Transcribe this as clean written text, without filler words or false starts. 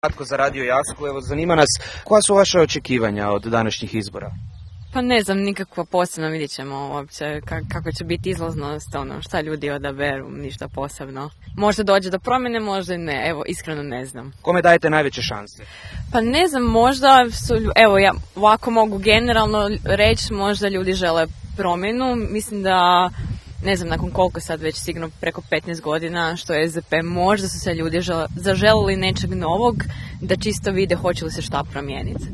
Kratko za Radio Jasku, evo zanima nas koja su vaše očekivanja od današnjih izbora? Pa ne znam, nikakva posebno, vidjet ćemo uopće kako će biti izlaznost, šta ljudi odaberu, ništa posebno. Možda dođe do promjene, možda i ne, evo iskreno ne znam. Kome dajete najveće šanse? Pa ne znam, možda su, evo ja ovako mogu generalno reći, možda ljudi žele promjenu, mislim da ne znam nakon koliko sad već sigurno preko 15 godina što je SDP, možda su se ljudi zaželili nečeg novog da čisto vide hoće li se šta promijeniti.